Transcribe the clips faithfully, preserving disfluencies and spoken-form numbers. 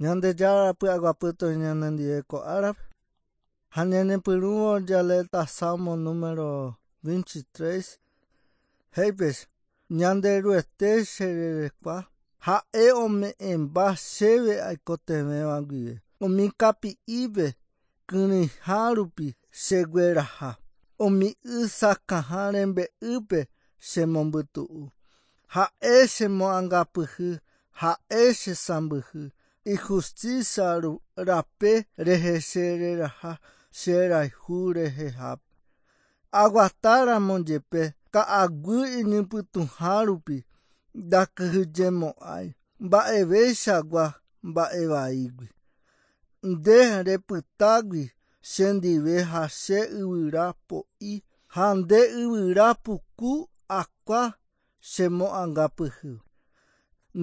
Ñandejára py'aguapy ñanendive ko árape ha ñañepyrũvo jaleéta Salmo número veintitrés he'ípes Ñanderuete che rerekua ha'e ome'ẽmba chéve aikotevẽva guive umi kapi'ipe kyrỹiha rupi chegueraha umi y sakãha rembe'ýpe chemombytu'u ha'e chemoangapyhy ha'e chesãmbyhy ijusticia rape rehe chereraha cherayhu rehehápe aguatáramo jepe ka'aguy iñypytũha rupi ndakyhyjemo'ãi mba'eveichagua mba'evaígui nde repytágui chendive ha che yvyra po'i ha nde yvyra puku akua chemoangapyhy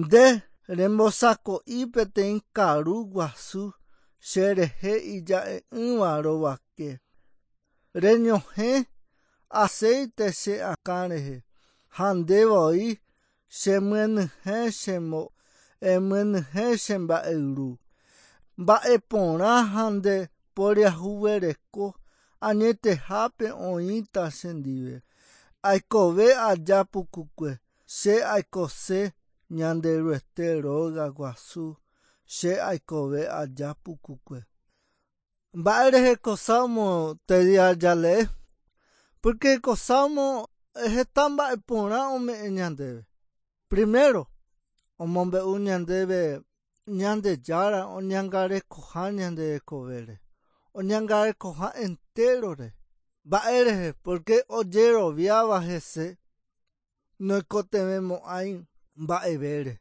nde rembosako'i peteĩ karu guasu cherehe ija'e'ỹva rovake reñohẽ aceite che akã rehe ha ndevoi chemyenyhẽ chemo emyenyhẽ che mba'eyru mba'eporã ha nde poriahuvereko añetehápe oĩta chendive aikove aja pukukue che aikose Ñanderuete róga guasu che aikove aja pukukue mba'e rehe ko Salmo tedia jalee porque ko Salmo heta mba'eporã ome'ẽ ñandéve primero omombe'u ñandéve Ñandejára oñangarekoha ñande rekovére oñangarekoha enterore mba'e rehe porque ojeroviáva hese noikotevẽmo'ãi mba'evére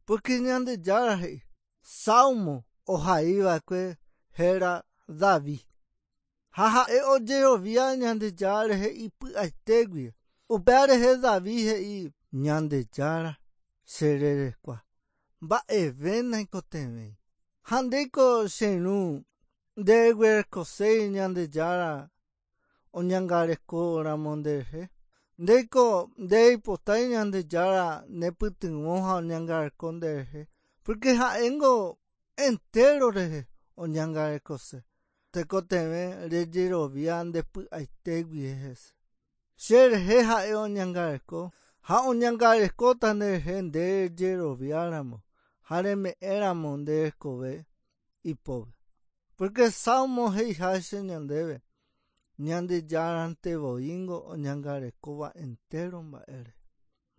porque Ñandejára he'i Salmo ohaiva'ekue héra David ha ha'e ojerovia Ñandejára rehe ipy'aitégui upéva rehe David he'i Ñandejára che rerekua mba'eve naikotevẽi ha ndéiko che irũ ndeguerekoséi Ñandejára oñangarekóramo nderehe ndéiko ndeipotái Ñandejára nepytyvõ ha oñangareko nderehe porque ha'éngo entero rehe oñangarekose tekotevẽ rejerovia ndepy'aitégui hese cherehe ha'e oñangareko ha oñangarekóta nderehe nde rejeroviáramo ha reme'ẽramo nde rekove ipópe porque Salmo he'iháicha ñandéve Ñandejárantevoíngo oñangarekóva entero mba'ére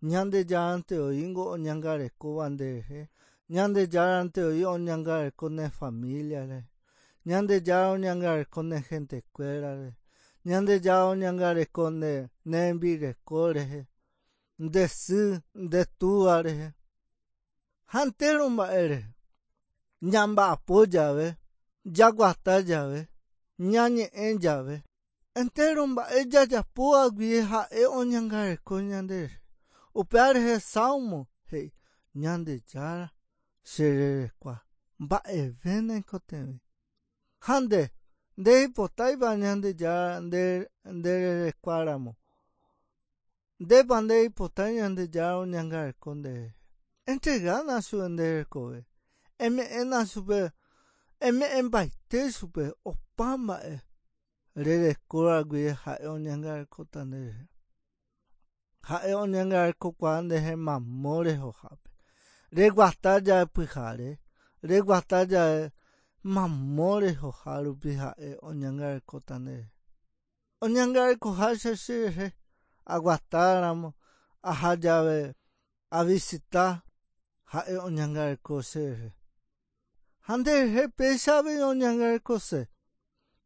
Ñandejárantevoíngo oñangarekóva nderehe Ñandejárantevoí oñangareko ne familia rehe Ñandejára oñangareko ne gentekuéra rehe Ñandejára oñangareko ne rembireko rehe nde sy nde túva rehe ha entero mba'e rehe ñamba'apo jave jaguata jave ñañe'ẽ jave entero mba'e jajapóvagui ha'e oñangareko ñanderehe upéva rehe Salmo he'i Ñandejára che rerekua mba'eve naikotevẽi ha nde ndeipotáipa Ñandejára nde ndererekuáramo ndépa ndeipotái Ñandejára oñangareko nderehe entregána chupe nde rekove eme'ẽna chupe eme'ẽmbaite chupe opa mba'e rerekóragui ha'e oñangarekóta nderehe ha'e oñangarekokuaa nderehe mamo rehohápe reguata jave pyhare reguata jave mamo rehoha rupi ha'e oñangarekóta nderehe oñangarekoháicha cherehe aguatáramo aha jave avisita ha'e oñangareko cherehe ha nderehe péicha avei oñangarekose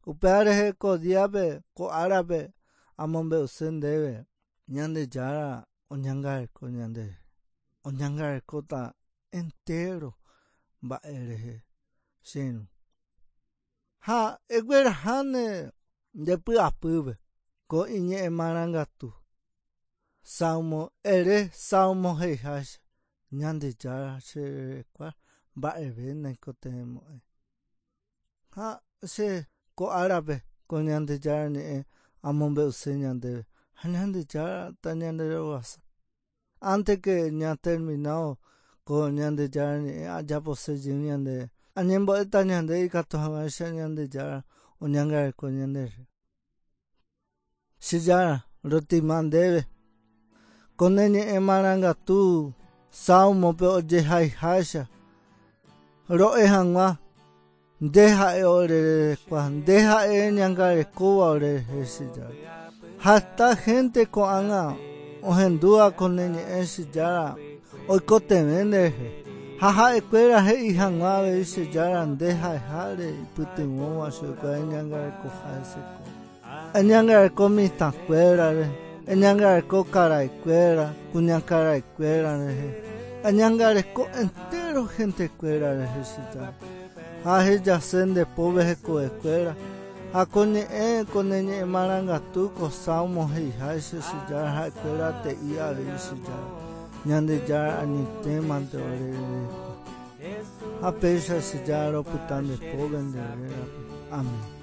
upéva rehe ko díape ko árape amombe'use ndéve Ñandejára oñangareko ñanderehe oñangarekóta entero mba'e rehe che irũ ha egueraháne ndepy'apýpe ko iñe'ẽ marangatu Salmo ere Salmo he'iháicha Ñandejára che rerekua mba'eve naikotevẽmo'ãi ha che ko árape ko Ñandejára ñe'ẽ amombe'use ñandéve ha Ñandejára tañanderovasa antes que ñaterminado ko Ñandejára ñe'ẽ ajapose jey ñande Añembo'éta ñande ikatu hag̃uáicha Ñandejára oñangareko ñanderehe. Che Jára, rotima ndéve. Ko ne ñe'ẽ marangatu Salmope ojehaiháicha ro'e hag̃ua nde ha'e orerekua, nde ha'e ñangarekóva orerehe che Jára. Ha heta gente ko'ág̃a ohendúva ko ne ñe'ẽ che Jára oikotevẽ nderehe. Ha ha'ekuéra he'i hag̃ua avei che Jára nde ha'eháre ipytyvõva chupekuéra eñangarekoha hesekuéra. Eñangareko mitãkuérare, eñangareko karaikuéra, kuñakaraikuéra rehe. Eñangareko entero gentekuéra rehe che Jára. Ha hejase nde pópe hekovekuéra. Ha ko ñe'ẽ ko ne ñe'ẽ marangatu ko Salmo he'iháicha che Jára ha'ekuéra te'i avei che Jára. Ñandejára añetémante orerekua. Ha péicha che Jára ropyta nde pópe nde rérape. Amén.